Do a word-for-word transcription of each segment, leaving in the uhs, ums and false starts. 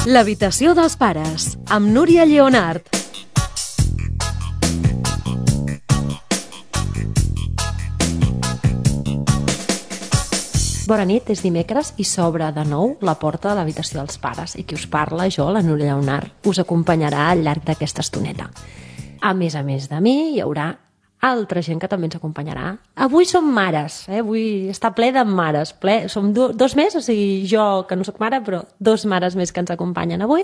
L'habitació dels pares, amb Núria Lleonart. Bona nit, és dimecres i s'obre de nou la porta de l'habitació dels pares i qui us parla, jo, la Núria Lleonart, us acompanyarà al llarg d'aquesta estoneta. A més a més de mi, hi haurà altra gent que també ens acompanyarà. Avui som mares, eh? Avui està ple de mares. Ple. Som do, dos més, o sigui, jo, que no soc mare, però dos mares més que ens acompanyen avui.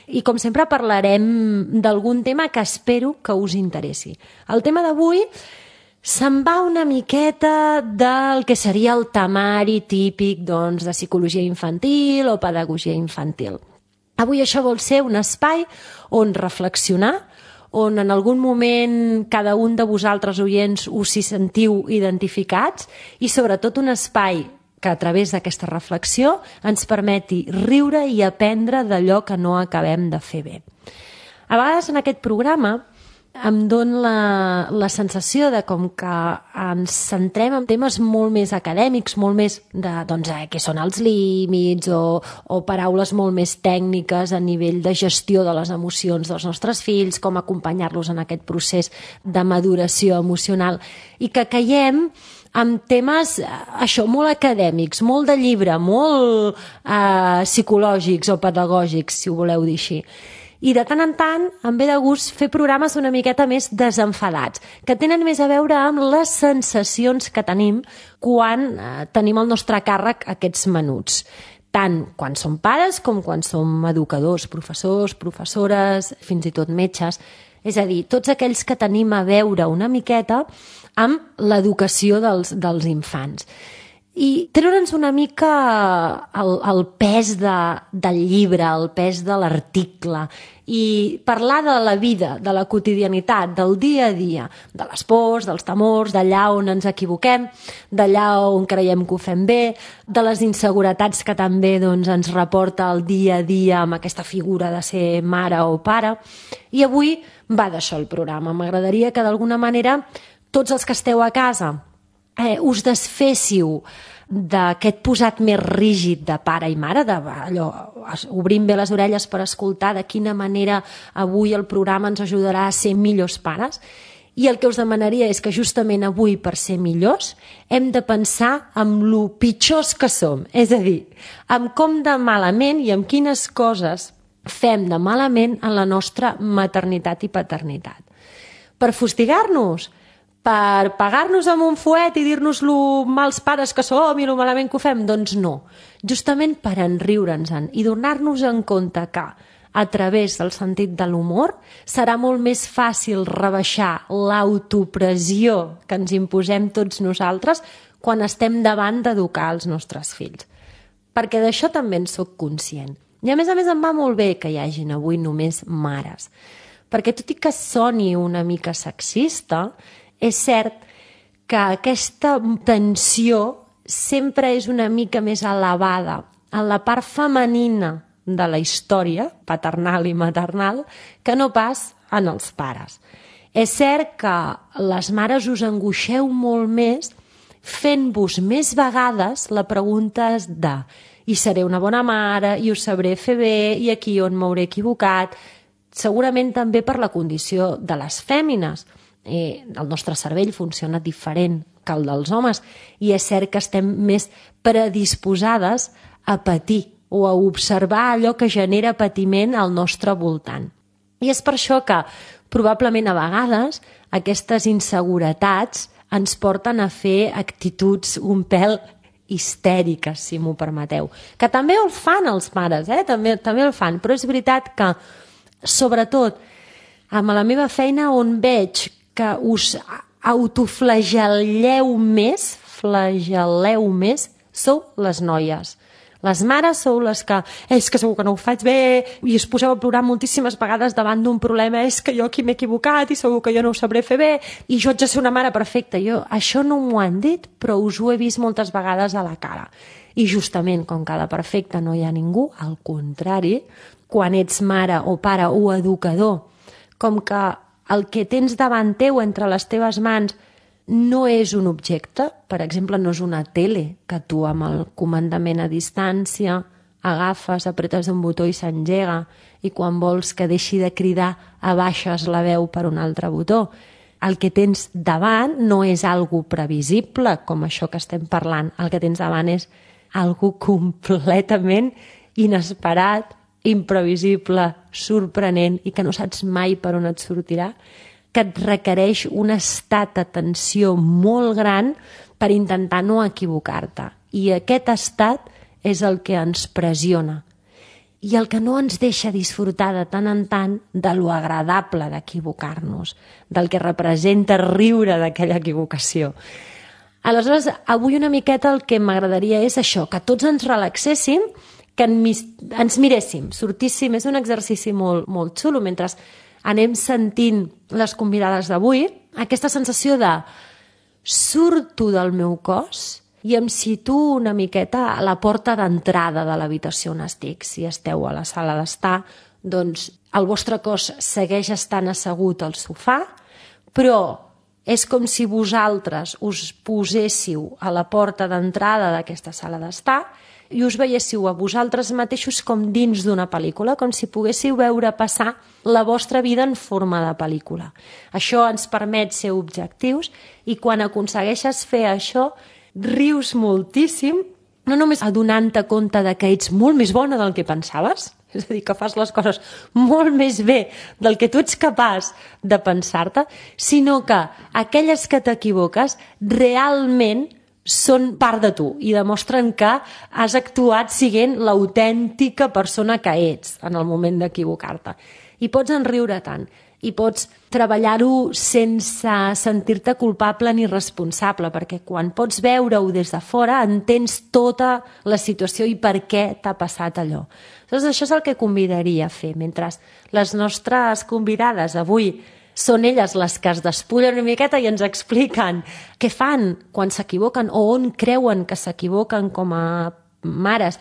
I, com sempre, parlarem d'algun tema que espero que us interessi. El tema d'avui se'n va una miqueta del que seria el temari típic, doncs, de psicologia infantil o pedagogia infantil. Avui això vol ser un espai on reflexionar, on en algun moment cada un de vosaltres oients us hi sentiu identificats i sobretot un espai que a través d'aquesta reflexió ens permeti riure i aprendre d'allò que no acabem de fer bé. A vegades en aquest programa em dona la, la sensació de com que ens centrem en temes molt més acadèmics, molt més de, doncs, eh, què són els límits o, o paraules molt més tècniques a nivell de gestió de les emocions dels nostres fills, com acompanyar-los en aquest procés de maduració emocional i que caiem amb temes, això, molt acadèmics, molt de llibre, molt eh, psicològics o pedagògics, si ho voleu dir així. I de tant en tant em ve de gust fer programes una miqueta més desenfadats, que tenen més a veure amb les sensacions que tenim quan eh, tenim al nostre càrrec aquests menuts. Tant quan som pares com quan som educadors, professors, professores, fins i tot metges. És a dir, tots aquells que tenim a veure una miqueta amb l'educació dels, dels infants. I treure'ns una mica el, el pes de, del llibre, el pes de l'article i parlar de la vida, de la quotidianitat, del dia a dia, de les pors, dels temors, d'allà on ens equivoquem, d'allà on creiem que ho fem bé, de les inseguretats que també doncs, ens reporta el dia a dia amb aquesta figura de ser mare o pare. I avui va d'això el programa. M'agradaria que d'alguna manera tots els que esteu a casa Eh, us desféssiu d'aquest posat més rígid de pare i mare, de, allò, obrim bé les orelles per escoltar de quina manera avui el programa ens ajudarà a ser millors pares. I el que us demanaria és que justament avui, per ser millors, hem de pensar en lo pitjors que som, és a dir, en com de malament i en quines coses fem de malament en la nostra maternitat i paternitat. Per fustigar-nos, per pagar-nos amb un fuet i dir-nos lo mals pares que som i lo malament que ho fem? Doncs no. Justament per enriure'ns-en i donar-nos en compte que a través del sentit de l'humor serà molt més fàcil rebaixar l'autopressió que ens imposem tots nosaltres quan estem davant d'educar els nostres fills. Perquè d'això també en soc conscient. I a més a més em va molt bé que hi hagin avui només mares. Perquè tot i que soni una mica sexista, és cert que aquesta tensió sempre és una mica més elevada en la part femenina de la història, paternal i maternal, que no pas en els pares. És cert que les mares us angoixeu molt més fent-vos més vegades la pregunta de i seré una bona mare, i ho sabré fer bé, i aquí on m'hauré equivocat, segurament també per la condició de les fèmines. Eh, el nostre cervell funciona diferent que el dels homes i és cert que estem més predisposades a patir o a observar allò que genera patiment al nostre voltant. I és per això que probablement a vegades aquestes inseguretats ens porten a fer actituds un pèl histèriques, si m'ho permeteu. Que també el fan els pares, eh? també, també el fan, però és veritat que sobretot amb la meva feina on veig que us autoflagelleu més, flagelleu més, sou les noies. Les mares sou les que, és que segur que no ho faig bé, i us poseu a plorar moltíssimes vegades davant d'un problema, és que jo aquí m'he equivocat i segur que jo no ho sabré fer bé, i jo haig de ser una mare perfecta. Jo, això no m'ho han dit, però us ho he vist moltes vegades a la cara. I justament, com que de perfecte no hi ha ningú, al contrari, quan ets mare o pare o educador, com que el que tens davant teu entre les teves mans no és un objecte, per exemple, no és una tele que tu amb el comandament a distància agafes, apretes un botó i s'engega, i quan vols que deixi de cridar abaixes la veu per un altre botó. El que tens davant no és algo previsible, com això que estem parlant. El que tens davant és algo completament inesperat, imprevisible, sorprenent i que no saps mai per on et sortirà, que et requereix un estat d'atenció molt gran per intentar no equivocar-te. I aquest estat és el que ens pressiona i el que no ens deixa disfrutar de tant en tant de lo agradable d'equivocar-nos, del que representa riure d'aquella equivocació. Aleshores, avui una miqueta el que m'agradaria és això, que tots ens relaxéssim, que ens miréssim, sortíssim. És un exercici molt, molt xulo mentre anem sentint les convidades d'avui, aquesta sensació de surto del meu cos i em situo una miqueta a la porta d'entrada de l'habitació on estic. Si esteu a la sala d'estar, doncs el vostre cos segueix estant assegut al sofà, però és com si vosaltres us poséssiu a la porta d'entrada d'aquesta sala d'estar i us veiéssiu a vosaltres mateixos com dins d'una pel·lícula, com si poguéssiu veure passar la vostra vida en forma de pel·lícula. Això ens permet ser objectius i quan aconsegueixes fer això rius moltíssim, no només adonant-te compte de que ets molt més bona del que pensaves, és a dir, que fas les coses molt més bé del que tu ets capaç de pensar-te, sinó que aquelles que t'equivoques realment són part de tu i demostren que has actuat sent l'autèntica persona que ets en el moment d'equivocar-te. I pots enriure tant, i pots treballar-ho sense sentir-te culpable ni responsable, perquè quan pots veure-ho des de fora entens tota la situació i per què t'ha passat allò. Doncs això és el que convidaria a fer, mentre les nostres convidades avui són elles les que es despullen una miqueta i ens expliquen què fan quan s'equivoquen o on creuen que s'equivoquen com a mares.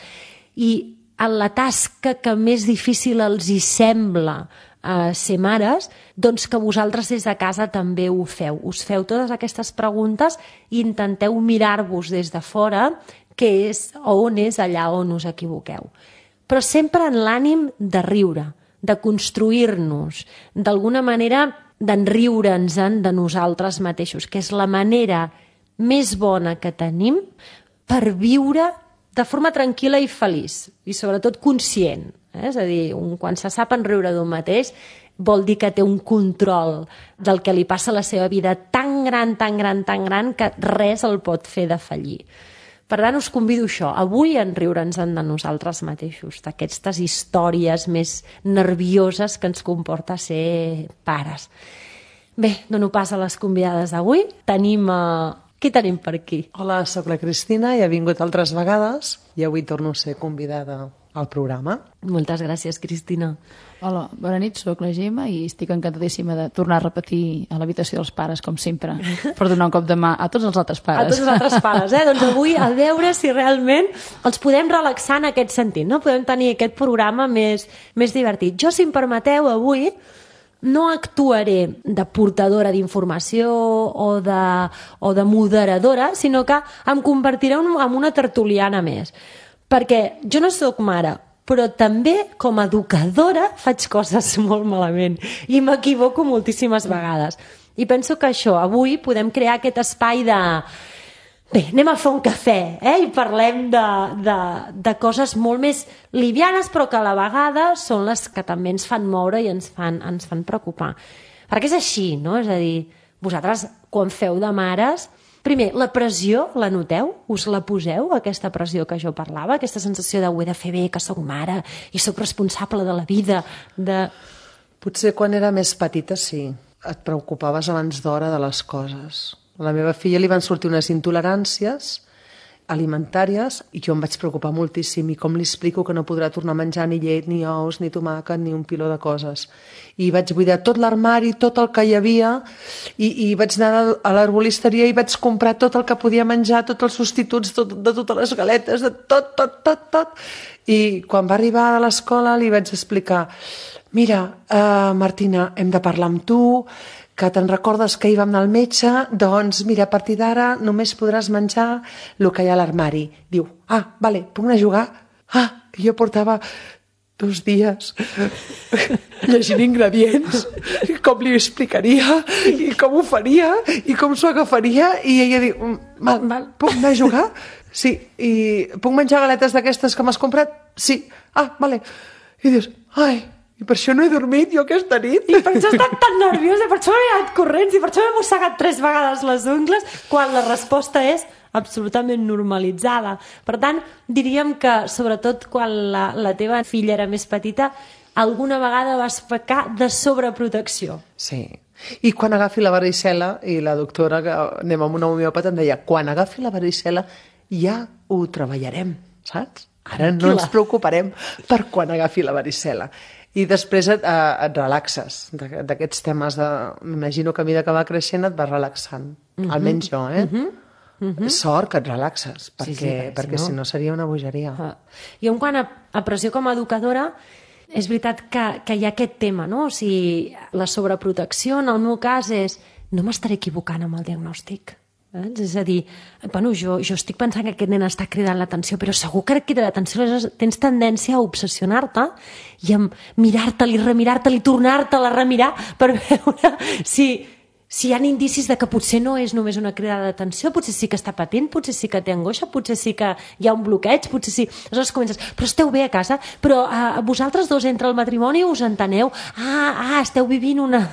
I en la tasca que més difícil els hi sembla eh, ser mares, doncs que vosaltres des de casa també ho feu. Us feu totes aquestes preguntes i intenteu mirar-vos des de fora què és o on és allà on us equivoqueu. Però sempre en l'ànim de riure, de construir-nos, d'alguna manera d'enriure'ns-en de nosaltres mateixos, que és la manera més bona que tenim per viure de forma tranquil·la i feliç, i sobretot conscient. Eh? És a dir, un, quan se sap enriure d'un mateix, vol dir que té un control del que li passa a la seva vida tan gran, tan gran, tan gran, que res el pot fer defallir. Per tant, us convido a això, avui a enriure'ns de nosaltres mateixos, d'aquestes històries més nervioses que ens comporta ser pares. Bé, dono pas a les convidades d'avui. Tenim... Uh... Qui tenim per aquí? Hola, sóc la Cristina i he vingut altres vegades i avui torno a ser convidada al programa. Moltes gràcies, Cristina. Hola, bona nit, sóc la Gemma i estic encantadíssima de tornar a repetir a l'habitació dels pares, com sempre, per donar un cop de mà a tots els altres pares. A tots els altres pares, eh? Doncs avui a veure si realment els podem relaxar en aquest sentit, no? Podem tenir aquest programa més, més divertit. Jo, si em permeteu, avui no actuaré de portadora d'informació o de, o de moderadora, sinó que em convertiré en una tertuliana més. Perquè jo no sóc mare, però també com a educadora faig coses molt malament i m'equivoco moltíssimes vegades. I penso que això, avui podem crear aquest espai de... Bé, anem a fer un cafè, eh? I parlem de, de, de coses molt més livianes, però que a la vegada són les que també ens fan moure i ens fan, ens fan preocupar. Perquè és així, no? És a dir, vosaltres, quan feu de mares... Primer, la pressió, la noteu? Us la poseu, aquesta pressió que jo parlava? Aquesta sensació de ho he de fer bé, que sóc mare i sóc responsable de la vida, de... Potser quan era més petita, sí. Et preocupaves abans d'hora de les coses. A la meva filla li van sortir unes intoleràncies alimentàries i jo em vaig preocupar moltíssim i com li explico que no podrà tornar a menjar ni llet, ni ous, ni tomàquet, ni un piló de coses. I vaig buidar tot l'armari, tot el que hi havia i, i vaig anar a l'herbolisteria i vaig comprar tot el que podia menjar, tots els substituts tot, de totes les galetes, de tot, tot, tot, tot. I quan va arribar a l'escola li vaig explicar: mira, uh, Martina, hem de parlar amb tu, que te'n recordes que hi vam anar al metge, doncs mira, a partir d'ara només podràs menjar el que hi ha a l'armari. Diu, ah, vale, puc anar a jugar? Ah, I jo portava dos dies llegint ingredients, i com li explicaria, i com ho faria, i com s'ho agafaria, i ella diu, val, val, puc anar a jugar? Sí, i puc menjar galetes d'aquestes que m'has comprat? Sí. Ah, vale. I dius, ai, i per això no he dormit jo aquesta nit. I per això he estat tan nerviosa, per això m'he anat corrents i per això m'he mossegat tres vegades les ungles, quan la resposta és absolutament normalitzada. Per tant, diríem que, sobretot quan la, la teva filla era més petita, alguna vegada vas pecar de sobreprotecció. Sí. I quan agafi la varicel·la, i la doctora, que anem amb una homeòpata, em deia, quan agafi la varicel·la ja ho treballarem, saps? Ara no ens preocuparem per quan agafi la varicel·la. I després et, et relaxes d'aquests temes. De... M'imagino que a mesura que va creixent et vas relaxant. Uh-huh. Almenys jo, eh? Uh-huh. Uh-huh. Sort que et relaxes, perquè, sí, sí, perquè, perquè si, no... si no seria una bogeria. Uh. I en quant a, a pressió com a educadora, és veritat que, que hi ha aquest tema, no? O sigui, la sobreprotecció, en el meu cas, és no m'estaré equivocant amb el diagnòstic. Eh? És a dir, bueno, jo, jo estic pensant que aquest nen està cridant l'atenció, però segur que crida l'atenció, tens tendència a obsessionar-te i a mirar-te-li, remirar-te-li, tornar-te-la a remirar per veure si, si hi ha indicis de que potser no és només una crida d'atenció, potser sí que està patint, potser sí que té angoixa, potser sí que hi ha un bloqueig, potser sí... Aleshores comences, però esteu bé a casa? Però uh, vosaltres dos entre el matrimoni us enteneu? Ah, ah esteu vivint una,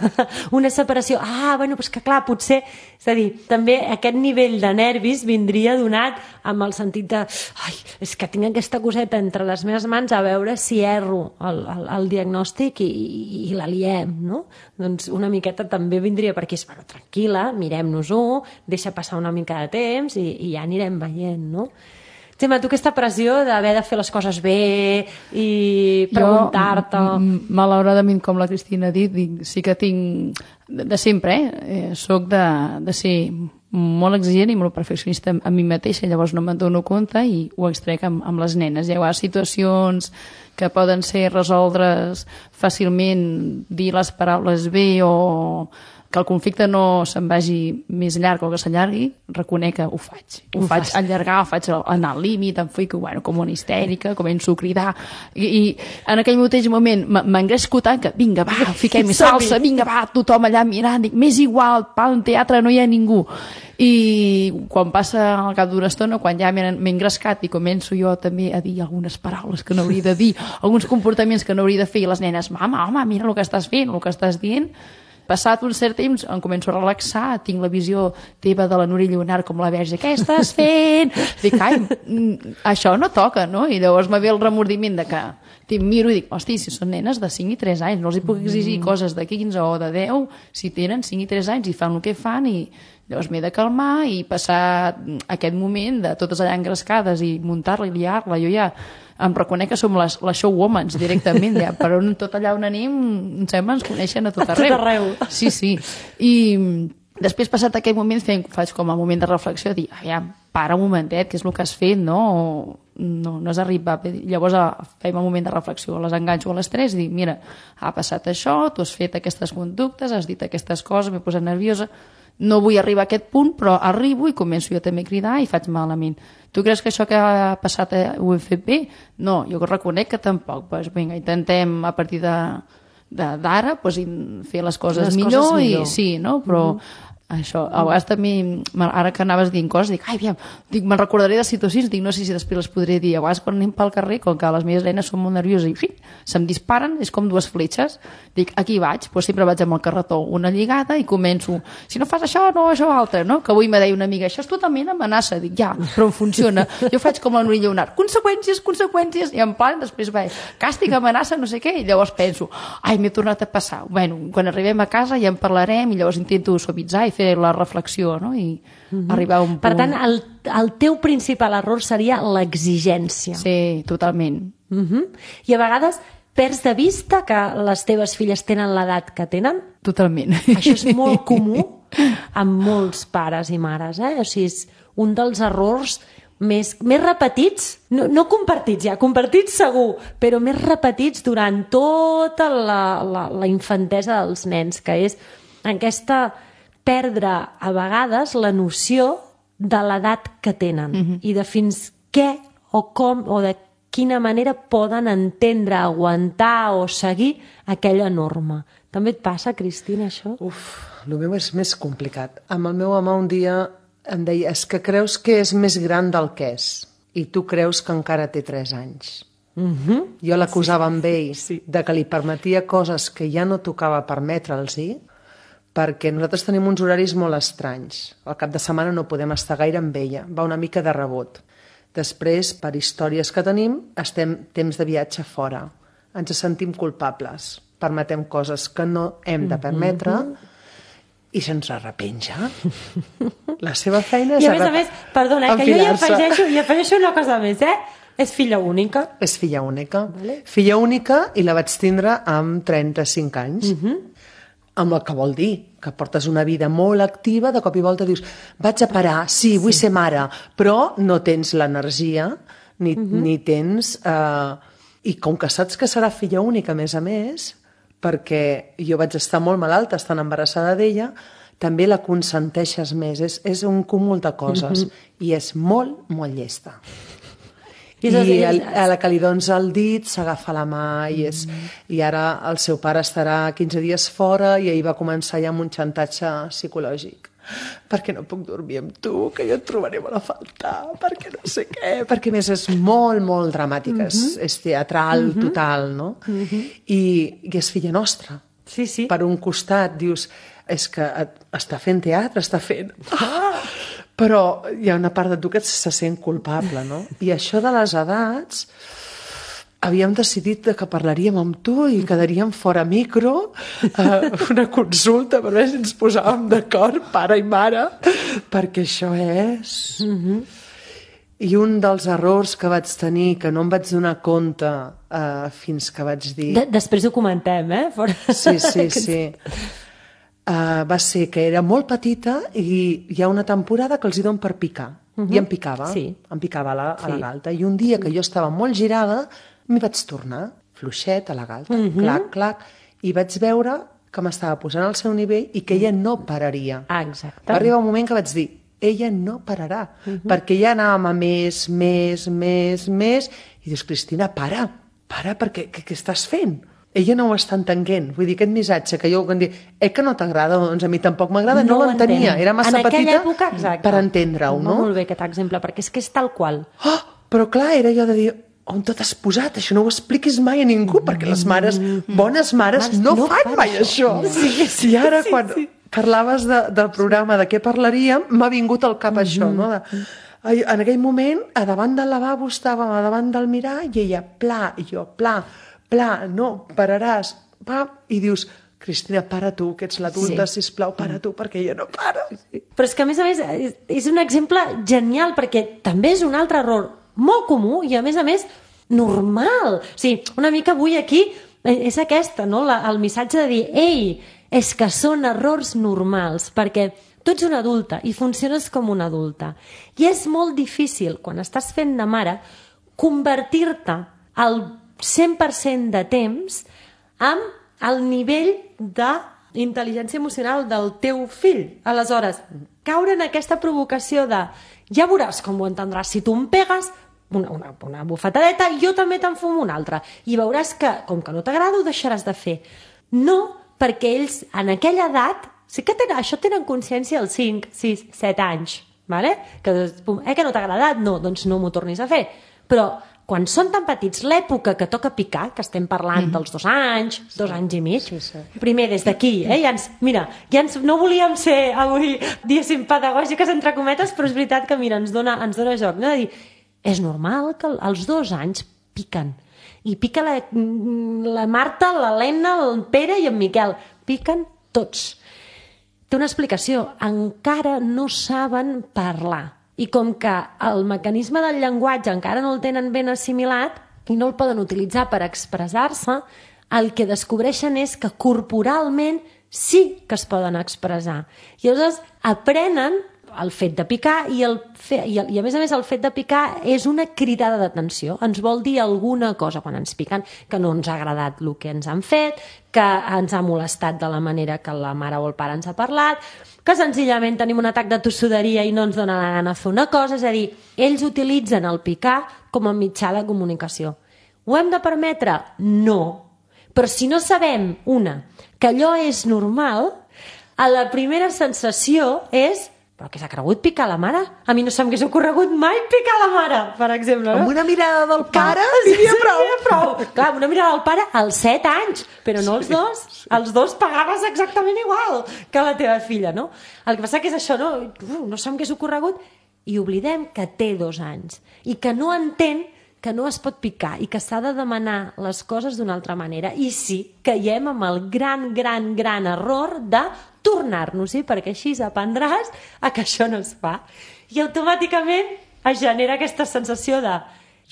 una separació. Ah, bueno, doncs que clar, potser... És a dir, també aquest nivell de nervis vindria donat amb el sentit de ai, és que tinc aquesta coseta entre les meves mans a veure si erro el, el, el diagnòstic i, i, i la liem, no? Doncs una miqueta també vindria per aquí, bueno, tranquil·la, mirem-nos-ho, deixa passar una mica de temps i, i ja anirem veient, no? Gemma, tu aquesta pressió d'haver de fer les coses bé i preguntar-te... Jo, malauradament, com la Cristina ha dit, dic, sí que tinc de, de sempre, eh? Soc de, de ser molt exigent i molt perfeccionista a mi mateixa, llavors no me'n dono compte i ho extrec amb, amb les nenes. Hi ha situacions que poden ser resoldres fàcilment, dir les paraules bé o que el conflicte no se'n vagi més llarg o que s'allargui, reconec que ho faig. Ho, ho faig allargar, ho faig anar al límit, em fico bueno, com una histèrica, començo a cridar, i, i en aquell mateix moment m'engresco tant que, vinga, va, fiquem més salsa, vinga, va, tothom allà mirant, dic, m'és igual, al teatre no hi ha ningú. I quan passa al cap d'una estona, quan ja m'he engrescat i començo jo també a dir algunes paraules que no hauria de dir, alguns comportaments que no hauria de fer, i les nenes, mama, home, mira el que estàs fent, el que estàs dient, passat un cert temps em començo a relaxar, tinc la visió teva de la Núria Lleonart com la verge, què estàs fent? Dic, ai, això no toca, no? I llavors me ve el remordiment de que em miro i dic, hosti, si són nenes de cinc i tres anys, no els hi puc exigir coses de quinze o de deu, si tenen cinc i tres anys i fan el que fan, i llavors m'he de calmar i passar aquest moment de totes allà engrescades i muntar-la i liar-la, jo ja em reconec que som les, les showwomans directament, ja, però tot allà on anem em sembla ens coneixen a tot arreu. A tot arreu. Sí, sí. I després, passat aquest moment, fem, faig com a moment de reflexió, dir, aviam, para un momentet, què és el que has fet, no? No, no has arribat. Llavors fem un moment de reflexió, les enganxo a les tres i dic, mira, ha passat això, tu has fet aquestes conductes, has dit aquestes coses, m'he posat nerviosa, no vull arribar a aquest punt, però arribo i començo jo també a cridar i faig malament. Tu creus que això que ha passat ho he fet bé? No, jo reconec que tampoc. Pues, vinga, intentem a partir d'ara pues, fer les coses les millor, coses millor. I sí, no? Però mm-hmm. això, a vegades també, ara que anaves dient coses, dic, ai, aviam, dic, me'n recordaré de situacions, dic, no sé si després les podré dir. A vegades quan anem pel carrer, com que les meves nenes són molt nervioses i fi, se'm disparen, és com dues fletxes, dic, aquí vaig, doncs sempre vaig amb el carretó una lligada i començo, si no fas això, no, això altre, no? Que avui me deia una amiga, això és totalment amenaça, dic, ja, però funciona. Jo faig com la Núria Lleonart, conseqüències, conseqüències, i en plan, després vaig, càstig, amenaça, no sé què, i llavors penso, ai, m'he tornat a passar. Bueno, quan arribem a casa ja en parlarem i llavors intento suavitzar i fer la reflexió, no? I mm-hmm. arribar a un punt... Per tant, el, el teu principal error seria l'exigència. Sí, totalment. Mm-hmm. I a vegades perds de vista que les teves filles tenen l'edat que tenen? Totalment. Això és molt comú amb molts pares i mares, eh? O sigui, és un dels errors més, més repetits, no, no compartits ja, compartits segur, però més repetits durant tota la, la, la infantesa dels nens, que és aquesta perdre a vegades la noció de l'edat que tenen mm-hmm. i de fins què o com o de quina manera poden entendre, aguantar o seguir aquella norma. També et passa, Cristina, això? Uf, el meu és més complicat. Amb el meu home un dia em deia, és que creus que és més gran del que és i tu creus que encara té tres anys. Uh-huh. Jo l'acusava amb ell sí. de que li permetia coses que ja no tocava permetre'ls-hi, perquè nosaltres tenim uns horaris molt estranys. Al cap de setmana no podem estar gaire amb ella, va una mica de rebot. Després, per històries que tenim, estem temps de viatge fora. Ens sentim culpables, permetem coses que no hem de permetre i se'ns arrepenja. La seva feina és... I a més a més, perdona, que jo hi afegeixo, hi afegeixo una cosa més, eh? És filla única. És filla única. Vale. Filla única i la vaig tindre amb trenta-cinc anys. Uh-huh. Amb el que vol dir que portes una vida molt activa, de cop i volta dius vaig a parar, sí, vull sí. ser mare, però no tens l'energia ni, uh-huh. ni tens... Eh... I com que saps que serà filla única, a més a més, perquè jo vaig estar molt malalta estant embarassada d'ella, també la consenteixes més. És, és un cúmul de coses. Uh-huh. I és molt, molt llesta. I, I el, a la que li dones el dit s'agafa la mà i, és, mm. i ara el seu pare estarà quinze dies fora i ahir va començar ja amb un xantatge psicològic. Perquè no puc dormir amb tu, que jo et trobaré molt a faltar, perquè no sé què, perquè a més és molt, molt dramàtica, mm-hmm. és, és teatral mm-hmm. total, no? Mm-hmm. I, I és filla nostra. Sí, sí. Per un costat dius, és que està fent teatre, està fent... Ah! Però hi ha una part de tu que se sent culpable, no? I això de les edats, havíem decidit que parlaríem amb tu i quedaríem fora micro, eh, una consulta per veure si ens posàvem d'acord, pare i mare, perquè això és... Mm-hmm. I un dels errors que vaig tenir, que no em vaig donar compte eh, fins que vaig dir... De després ho comentem, eh? Fora... Sí, sí, sí. Uh, va ser que era molt petita i hi ha una temporada que els hi donen per picar. Uh-huh. I em picava, sí. em picava a la, a la galta. I un dia que jo estava molt girada, m'hi vaig tornar, fluixet a la galta, uh-huh. clac, clac, i vaig veure que m'estava posant al seu nivell i que ella no pararia. Ah, exacte. Va arribar un moment que vaig dir, ella no pararà, uh-huh. perquè ja anàvem a més, més, més, més, i dius, Cristina, para, para, perquè què, què estàs fent? Ella no ho està entenent. Vull dir, aquest missatge que jo quan dic, eh que no t'agrada, doncs a mi tampoc m'agrada, no, no l'entenia. Era massa petita època, per entendre-ho, no? Molt bé aquest exemple, perquè és que és tal qual. Oh, però clar, era jo de dir, on tot has posat? Això no ho expliquis mai a ningú, perquè les mares, bones mares, no, no fan mai això. això. Sí, sí, I ara, sí, quan sí. parlaves de, del programa de què parlaríem, m'ha vingut al cap mm-hmm. això, no? De, en aquell moment, a davant del lavabo estàvem a davant del mirall i ella, pla, i jo, pla, pla, no, pararàs, pa, i dius, Cristina, para tu, que ets l'adulta, sí. sisplau, para tu, perquè ella no para. Però és que, a més a més, és un exemple genial, perquè també és un altre error molt comú i, a més a més, normal. O sigui, una mica avui aquí és aquesta, no? La, el missatge de dir, ei, és que són errors normals, perquè tu ets una adulta i funciones com una adulta. I és molt difícil, quan estàs fent de mare, convertir-te al cent per cent de temps amb el nivell d'intel·ligència emocional del teu fill. Aleshores, caure en aquesta provocació de ja veuràs com ho entendràs, si tu em pegues una, una, una bufetadeta, jo també te'n fumo una altra, i veuràs que, com que no t'agrada, ho deixaràs de fer. No, perquè ells, en aquella edat, sí que tenen, això tenen consciència als cinc, sis, set anys, vale? Que, eh, que no t'ha agradat? No, doncs no m'ho tornis a fer. Però quan són tan petits, l'època que toca picar, que estem parlant mm. dels dos anys, sí. dos anys i mig, sí, sí. primer des d'aquí, eh, ja ens, mira, ja ens, no volíem ser avui, diguéssim, pedagògiques entre cometes, però és veritat que, mira, ens dona, ens dona joc, no? De dir, és normal que als dos anys piquen, i pica la, la Marta, l'Helena, el Pere i en Miquel, piquen tots. Té una explicació, encara no saben parlar. I com que el mecanisme del llenguatge encara no el tenen ben assimilat i no el poden utilitzar per expressar-se, el que descobreixen és que corporalment sí que es poden expressar. I llavors aprenen el fet de picar i, el fe, i, el, i a més a més el fet de picar és una cridada d'atenció, ens vol dir alguna cosa quan ens piquen, que no ens ha agradat el que ens han fet, que ens ha molestat de la manera que la mare o el pare ens ha parlat, que senzillament tenim un atac de tossuderia i no ens dona la gana fer una cosa, és a dir, ells utilitzen el picar com a mitjà de comunicació. Ho hem de permetre? No. Però si no sabem, una, que allò és normal, a la primera sensació és però què s'ha cregut picar la mare? A mi no se m'hagués ocorregut mai picar la mare, per exemple. No? Amb una mirada del pare seria prou. Seria prou. Clar, amb una mirada del pare als set anys, però no els dos. Sí, sí. Els dos pagaves exactament igual que la teva filla, no? El que passa que és això, no? Uh, no se m'hagués ocorregut i oblidem que té dos anys i que no entén que no es pot picar i que s'ha de demanar les coses d'una altra manera. I sí, caiem amb el gran, gran, gran error de tornar-nos-hi, perquè així aprendràs a que això no es fa. I automàticament es genera aquesta sensació de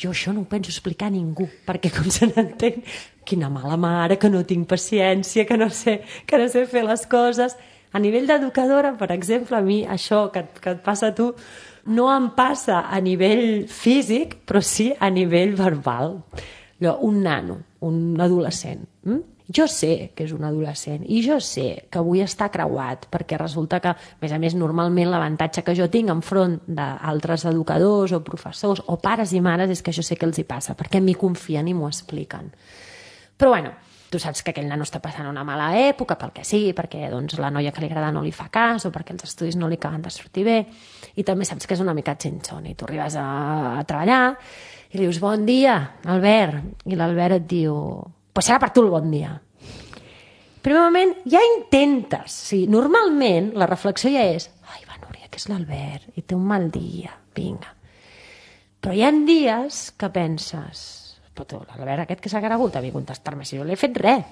jo això no ho penso explicar a ningú, perquè com se n'entén, quina mala mare, que no tinc paciència, que no sé, que no sé fer les coses. A nivell d'educadora, per exemple, a mi això que, que et passa a tu no em passa a nivell físic, però sí a nivell verbal. Allò, un nano, un adolescent. Hm? Jo sé que és un adolescent i jo sé que vull estar creuat, perquè resulta que, a més a més, normalment l'avantatge que jo tinc enfront d'altres educadors o professors o pares i mares és que jo sé què els hi passa, perquè m'hi confien i m'ho expliquen. Però bueno, tu saps que aquell nano està passant una mala època, pel que sigui, perquè doncs, la noia que li agrada no li fa cas o perquè els estudis no li acaben de sortir bé, i també saps que és una mica xinxon, i tu arribes a, a treballar i li dius bon dia, Albert, i l'Albert et diu pues serà per tu el bon dia. Primer moment, ja intentes, sí, normalment la reflexió ja és ai, va, Núria, que és l'Albert i té un mal dia, vinga. Però hi ha dies que penses però tu, l'Albert aquest que s'ha cregut a mi contestar-me si jo no l'he fet res.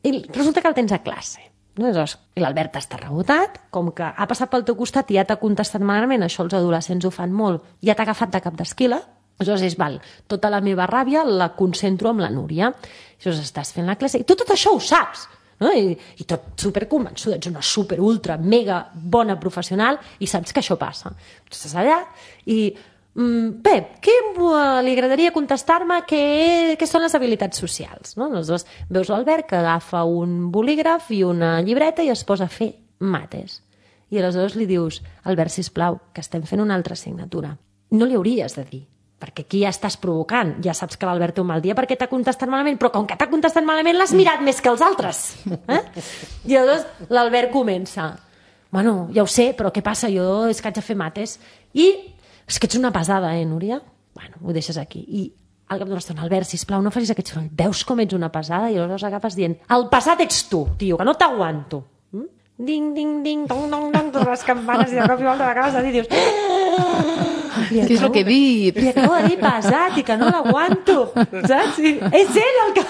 I resulta que el tens a classe. No? I l'Albert està rebotat, com que ha passat pel teu costat i ja t'ha contestat malament, això els adolescents ho fan molt, ja t'ha agafat de cap d'esquila, aleshores és, val, tota la meva ràbia la concentro amb la Núria. Aleshores estàs fent la classe i tu tot això ho saps, no? I, i tot superconvençuda, ets una super, ultra, mega bona professional i saps que això passa. Tu estàs allà i Mm, Pep, què li agradaria contestar-me què, què són les habilitats socials? No? Aleshores veus l'Albert que agafa un bolígraf i una llibreta i es posa a fer mates. I aleshores li dius, Albert, sisplau, que estem fent una altra assignatura. No li hauries de dir, perquè aquí ja estàs provocant, ja saps que l'Albert té un mal dia perquè t'ha contestat malament, però com que t'ha contestat malament l'has mirat més que els altres. Eh? I aleshores l'Albert comença, bueno, ja ho sé, però què passa? Jo és que haig de fer mates. I és que ets una pesada, eh, Núria? Bueno, ho deixes aquí. I al cap d'una estona, Albert, sisplau, no facis aquest soroll. Veus com ets una pesada? I aleshores agafes dient, el pesat ets tu, tio, que no t'aguanto. Mm? Ding, ding, ding, dong, dong, dong, totes les campanes i de cop i volta l'acabes de dir, dius... Què és el que he dit? Li acabo de dir pesat i que no l'aguanto, saps? I és ell el que...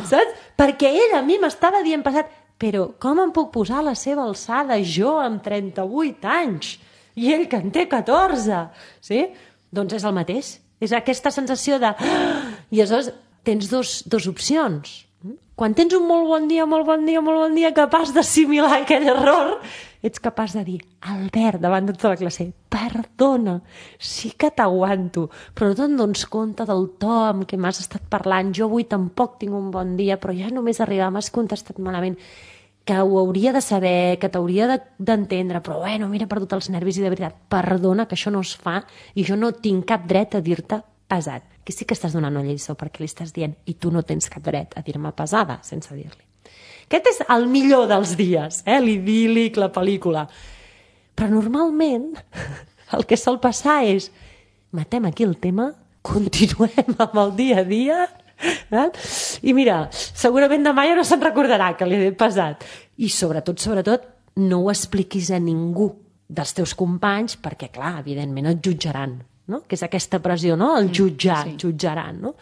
saps? Perquè ell a mi m'estava dient pesat, però com em puc posar a la seva alçada jo amb trenta-vuit anys? I ell que en té catorze, sí? Doncs és el mateix. És aquesta sensació de... I aleshores tens dos, dos opcions. Quan tens un molt bon dia, molt bon dia, molt bon dia, capaç d'assimilar aquell error, ets capaç de dir, Albert, davant de tota la classe, perdona, sí que t'aguanto, però no te'n dones compte del to amb què m'has estat parlant. Jo avui tampoc tinc un bon dia, però ja només arribar m'has contestat malament, que ho hauria de saber, que t'hauria d'entendre, però bueno, mira, he perdut els nervis i de veritat, perdona, que això no es fa i jo no tinc cap dret a dir-te pesat. Que sí que estàs donant una lliçó perquè li estàs dient i tu no tens cap dret a dir-me pesada sense dir-li. Aquest és el millor dels dies, eh? L'idíl·lic, la pel·lícula. Però normalment el que sol passar és matem aquí el tema, continuem amb el dia a dia... I mira, segurament demà ja no se'n recordarà que li he pesat. I sobretot, sobretot, no ho expliquis a ningú dels teus companys perquè, clar, evidentment et jutjaran, no? Que és aquesta pressió, no? El jutjar, sí. Jutjaran, no?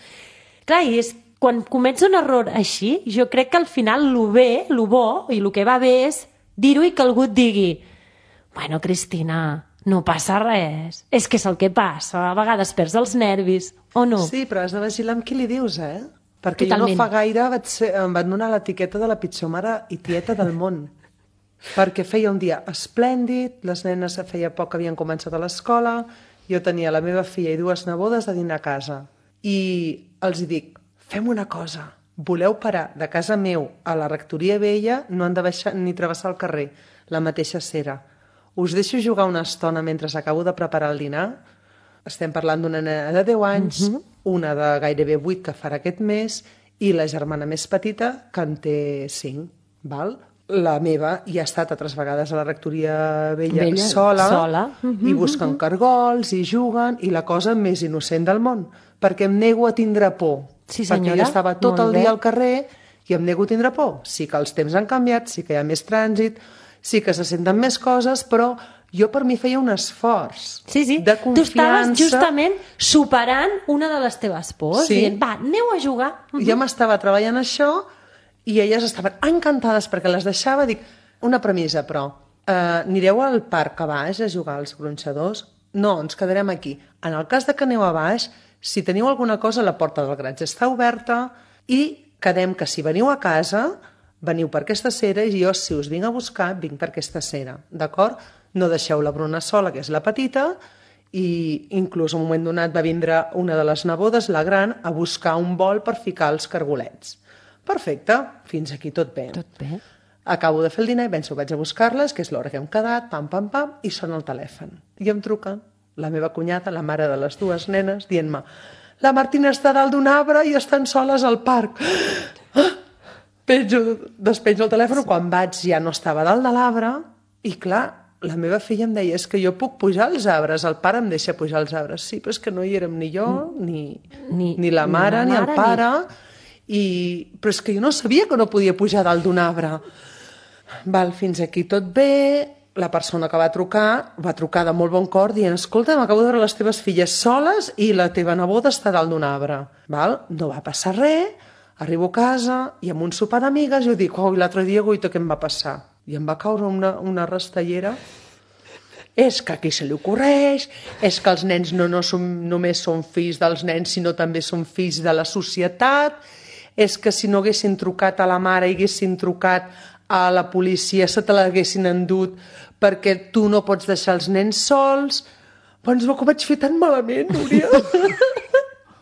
Clar, i és, quan comets un error així, jo crec que al final lo bé, lo bo i lo que va bé és dir-ho i que algú et digui bueno, Cristina, no passa res. És que és el que passa. A vegades perds els nervis, o no? Sí, però has de vigilar amb qui li dius, eh? Perquè totalment. Jo no fa gaire vaig ser, em van donar l'etiqueta de la pitjor mare i tieta del món. perquè feia un dia esplèndid, les nenes feia poc que havien començat a l'escola, jo tenia la meva filla i dues nebodes a dinar a casa. I els dic, fem una cosa, voleu parar de casa meu a la rectoria vella, no han de baixar ni travessar el carrer, la mateixa cera. Us deixo jugar una estona mentre acabo de preparar el dinar. Estem parlant d'una nena de deu anys, uh-huh. una de gairebé vuit que farà aquest mes, i la germana més petita, que en té cinc, val? La meva ja ha estat altres vegades a la rectoria vella, vella sola, sola. Uh-huh, i busquen uh-huh. cargols, i juguen, i la cosa més innocent del món, perquè em nego a tindre por. Sí, senyora. Perquè jo estava tot el dia al carrer i em nego a tindre por. Sí que els temps han canviat, sí que hi ha més trànsit, sí que se senten més coses, però jo per mi feia un esforç sí, sí. de confiança. Tu estaves justament superant una de les teves pors, sí. dient, va, aneu a jugar. Uh-huh. Jo m'estava treballant això i elles estaven encantades perquè les deixava. Dic, una premissa, però, uh, anireu al parc a baix a jugar als gronxadors? No, ens quedarem aquí. En el cas de que aneu a baix, si teniu alguna cosa, la porta del garatge està oberta i quedem que si veniu a casa, veniu per aquesta cera i jo, si us vinc a buscar, vinc per aquesta cera, d'acord? No deixeu la Bruna sola, que és la petita, i inclús en un moment donat va vindre una de les nebodes, la gran, a buscar un bol per ficar els cargolets. Perfecte, fins aquí tot bé. Tot bé. Acabo de fer el dinar i penso, vaig a buscar-les, que és l'hora que hem quedat, pam, pam, pam, i sona el telèfon. I em truca la meva cunyada, la mare de les dues nenes, dient-me, la Martina està dalt d'un arbre i estan soles al parc. Ah! Penjo, despenjo el telèfon, quan vaig ja no estava dalt de l'arbre, i clar, la meva filla em deia, és que jo puc pujar als arbres, el pare em deixa pujar als arbres. Sí, però és que no hi érem ni jo, ni, ni, ni la mare, ni, la mare, ni el pare, ni... I... però és que jo no sabia que no podia pujar dalt d'un arbre. Val, fins aquí tot bé. La persona que va trucar, va trucar de molt bon cor dient, escolta, m'acabo de veure les teves filles soles i la teva neboda està dalt d'un arbre. Val? No va passar res, arribo a casa i amb un sopar d'amigues jo dic, oh, l'altre dia, guaita, què em va passar? I em va caure una, una rastellera. És que aquí se li ocorreix, és que els nens no, no som, només són fills dels nens, sinó també són fills de la societat, és que si no haguessin trucat a la mare i haguessin trucat a la policia, se te l'haguessin endut perquè tu no pots deixar els nens sols. Doncs que ho vaig fer tan malament, Núria.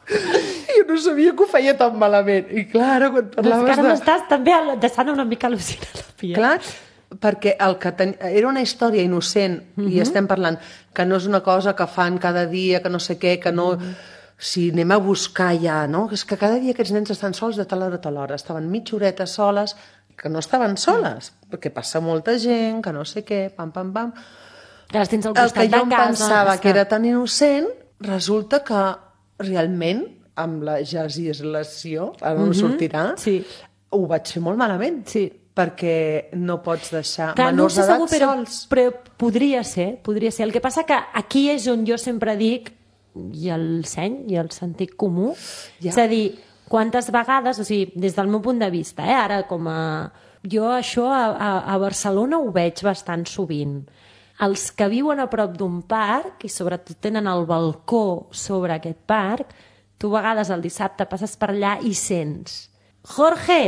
Jo no sabia que ho feia tan malament. I clar, quan parlaves de... de... m'estàs també deixant una mica al·lucinada, Pia. Clar, perquè el que ten... era una història innocent, uh-huh. i estem parlant que no és una cosa que fan cada dia, que no sé què, que no... Uh-huh. Si anem a buscar ja, no? És que cada dia aquests nens estan sols de tal hora a tal hora. Estaven mitja horeta soles, que no estaven soles, uh-huh. perquè passa molta gent, que no sé què, pam, pam, pam. Que les tens al costat de casa. El que jo em pensava que era tan innocent, resulta que realment, amb la legislació, ara no uh-huh. sortirà, sí. ho vaig fer molt malament. Sí. Perquè no pots deixar Clar, menors no d'edat segur, però, sols. Però podria ser, podria ser. El que passa que aquí és on jo sempre dic, i el seny, i el sentit comú, ja. És a dir, quantes vegades, o sigui, des del meu punt de vista, eh, ara com a... Jo això a, a, a Barcelona ho veig bastant sovint. Els que viuen a prop d'un parc, i sobretot tenen el balcó sobre aquest parc, tu a vegades el dissabte passes per allà i sents Jorge,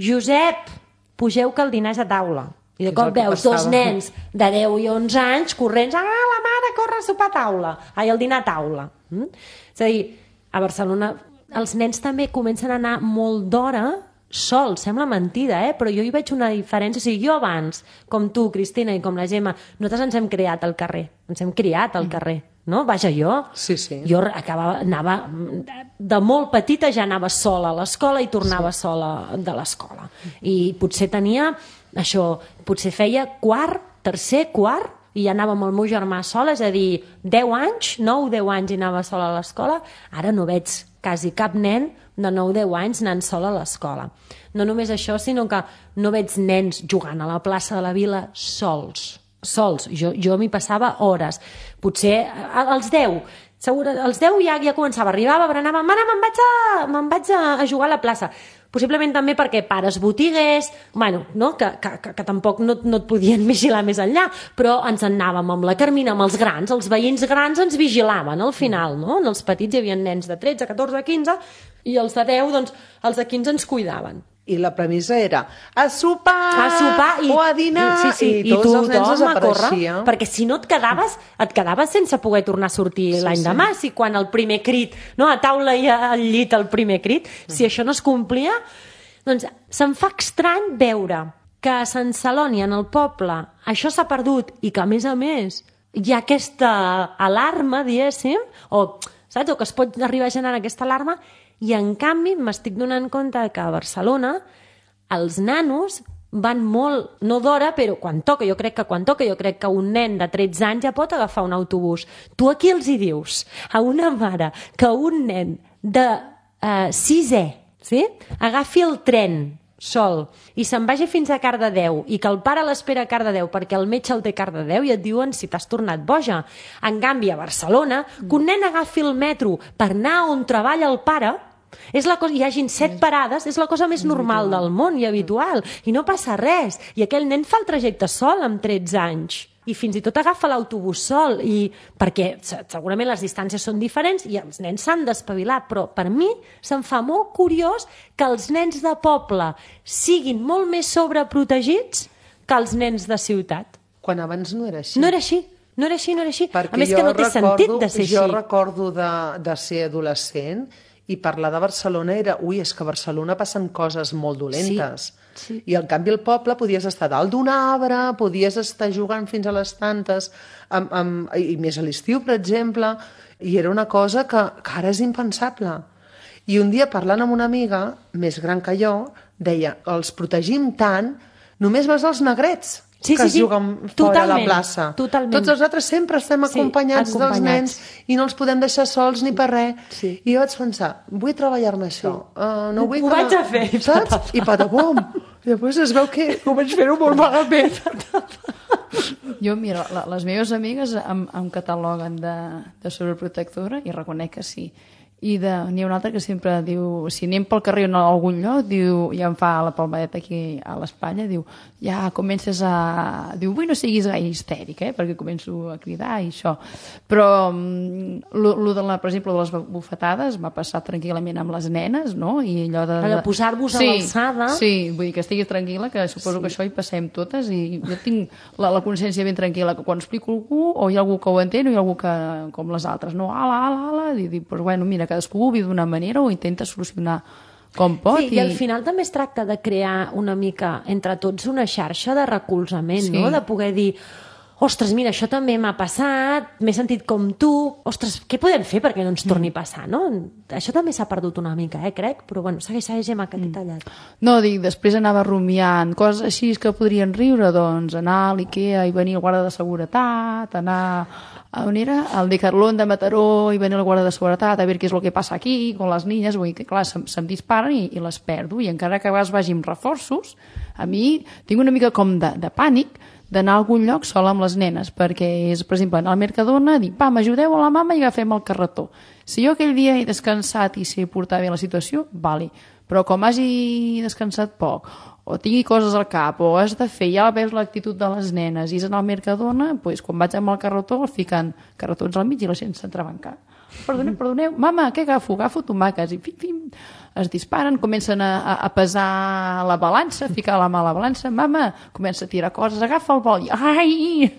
Josep, pugeu que el dinar és a taula. I de cop veus dos nens de deu i onze anys corrents, ah, la mare corre a sopar a taula, ai, el dinar a taula. Mm? És a dir, a Barcelona els nens també comencen a anar molt d'hora sols, sembla mentida, eh? Però jo hi veig una diferència. O sigui, jo abans, com tu, Cristina, i com la Gemma, nosaltres ens hem criat al carrer, ens hem criat al carrer, no? Vaja, jo, sí, sí. jo acabava, anava, de molt petita ja anava sola a l'escola i tornava sí. sola de l'escola. I potser tenia, això, potser feia quart, tercer, quart, i ja anava amb el meu germà sola, és a dir, deu anys, nou, deu anys i anava sola a l'escola. Ara no veig quasi cap nen de nou deu anys anant sola a l'escola. No només això, sinó que no veig nens jugant a la plaça de la Vila sols. Sols. Jo, jo m'hi passava hores. Potser als deu, segur, als deu ja, ja començava, arribava, berenava, mare, me'n vaig, a, me'n vaig a, a jugar a la plaça. Possiblement també perquè pares botiguers, bueno, no? que, que, que, que tampoc no, no et podien vigilar més enllà, però ens anàvem amb la Carmina, amb els grans, els veïns grans ens vigilaven al final, no? En els petits hi havia nens de tretze, catorze, quinze, i els de deu, doncs, els de quinze ens cuidaven. I la premissa era a sopar, a sopar i, o a dinar, sí, sí, i tots els nens córrer, desapareixien. perquè si no et quedaves, et quedaves sense poder tornar a sortir sí, l'any sí. demà, si quan el primer crit, no, a taula i al llit el primer crit, mm. si això no es complia, doncs se'm fa estrany veure que a Sant Celoni, en el poble, això s'ha perdut i que, a més a més, hi ha aquesta alarma, diguéssim, o, saps, o que es pot arribar a generar aquesta alarma. I, en canvi, m'estic donant compte que a Barcelona els nanos van molt, no d'hora, però quan toca, jo crec que quan toca, jo crec que un nen de tretze anys ja pot agafar un autobús. Tu aquí els hi dius a una mare que un nen de eh, sisè, sí? agafi el tren sol i se'n vagi fins a Cardedeu i que el pare l'espera a Cardedeu perquè el metge el té a Cardedeu i et diuen si t'has tornat boja. En canvi, a Barcelona, que un nen agafi el metro per anar on treballa el pare, és la cosa, hi hagin set parades, és la cosa més normal del món i habitual, i no passa res. I aquell nen fa el trajecte sol amb tretze anys. I fins i tot agafa l'autobús sol, i perquè segurament les distàncies són diferents i els nens s'han d'espavilar, però per mi se'm fa molt curiós que els nens de poble siguin molt més sobreprotegits que els nens de ciutat. Quan abans no era així. No era així. No era així, no era així. Perquè a més que no té recordo, sentit de ser jo així. Jo recordo de, de ser adolescent i parlar de Barcelona era, ui, és que a Barcelona passen coses molt dolentes. Sí, sí. I, en canvi, al poble podies estar dalt d'un arbre, podies estar jugant fins a les tantes, amb, amb, i més a l'estiu, per exemple, i era una cosa que, que ara és impensable. I un dia, parlant amb una amiga, més gran que jo, deia, els protegim tant, només vas als negrets, sí, que sí, es sí. juguen fora a la plaça. Totalment. Tots els altres sempre estem acompanyats, sí, acompanyats dels nens i no els podem deixar sols ni per res. Sí. I jo vaig pensar, vull treballar-me això. Sí. Uh, no vull ho que vaig a fer. Saps? I patapom. I després es veu que ho vaig fer-ho molt malament. Jo, mira, la, les meves amigues em, em cataloguen de, de sobreprotectora i reconec que sí. I n'hi ha una altra que sempre diu, si anem pel carrer o a algun lloc, diu, ja em fa la palmadeta aquí a l'espatlla, diu, ja comences a... Diu, vull no siguis gaire histèrica, eh? Perquè començo a cridar i això. Però, lo, lo de la, per exemple, de les bufetades m'ha passat tranquil·lament amb les nenes, no? I allò de... de posar-vos sí, a l'alçada. Sí, vull dir que estiguis tranquil·la, que suposo sí. que això hi passem totes, i jo tinc la, la consciència ben tranquil·la, que quan explico algú, o hi ha algú que ho entén, o hi ha algú que, com les altres, no, ala, ala, ala, i dic, pues bueno, mira, cadascú ho viu d'una manera o intenta solucionar com pot. Sí, i... i al final també es tracta de crear una mica entre tots una xarxa de recolzament, sí. no? De poder dir, ostres, mira, això també m'ha passat, m'he sentit com tu, ostres, què podem fer perquè no ens torni a passar, no? Això també s'ha perdut una mica, eh, crec, però bueno, segueix, segueix, Gemma, que t'he tallat. No, dic, després anava rumiant coses així que podrien riure, doncs anar a l'Ikea i venir al guarda de seguretat, anar a on era? Al Decathlon de Mataró i venir al guarda de seguretat a veure què és el que passa aquí, con les niñas, vull dir que clar, se'm, se'm disparen i, i les perdo, i encara que a vegades vagi amb reforços, a mi tinc una mica com de, de pànic d'anar a algun lloc sola amb les nenes, perquè és, per exemple, anar al Mercadona, dir, pa, m'ajudeu a la mama i agafem el carretó. Si jo aquell dia he descansat i sé portar bé la situació, vale, però com hagi descansat poc, o tingui coses al cap, o has de fer, ja veus l'actitud de les nenes, i és anar al Mercadona, doncs, quan vaig amb el carretó, el fiquen carretons al mig i la gent s'entrebanca. Perdoneu, perdoneu, mama, què agafo? Agafo tomàquets, i fim, fim, es disparen, comencen a, a pesar la balança, a ficar la mà a la balança, mama, comença a tirar coses, agafa el bol, i ai!